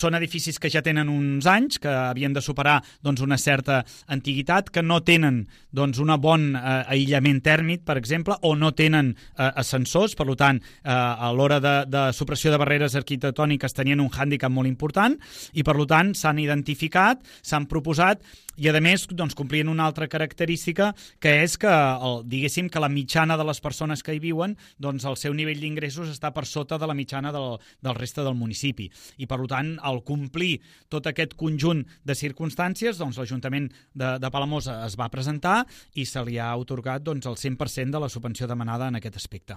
Són edificis que ja tenen uns anys, que havien de superar una certa antiguitat, que no tenen un bon aïllament tèrmic, per exemple, o no tenen ascensors, per tant, a l'hora de supressió de barreres arquitectòniques tenien un hàndicap molt important i, per tant, s'han identificat, s'han proposat i, a més, complien una altra característica, que és que, diguéssim, que la mitjana de les persones que hi viuen, el seu nivell d'ingressos està per sota de la mitjana del reste del municipi. I, per tant, al complir tot aquest conjunt de circumstàncies, l'Ajuntament de Palamós es va presentar i se li ha atorgat el 100% de la subvenció demanada en aquest aspecte.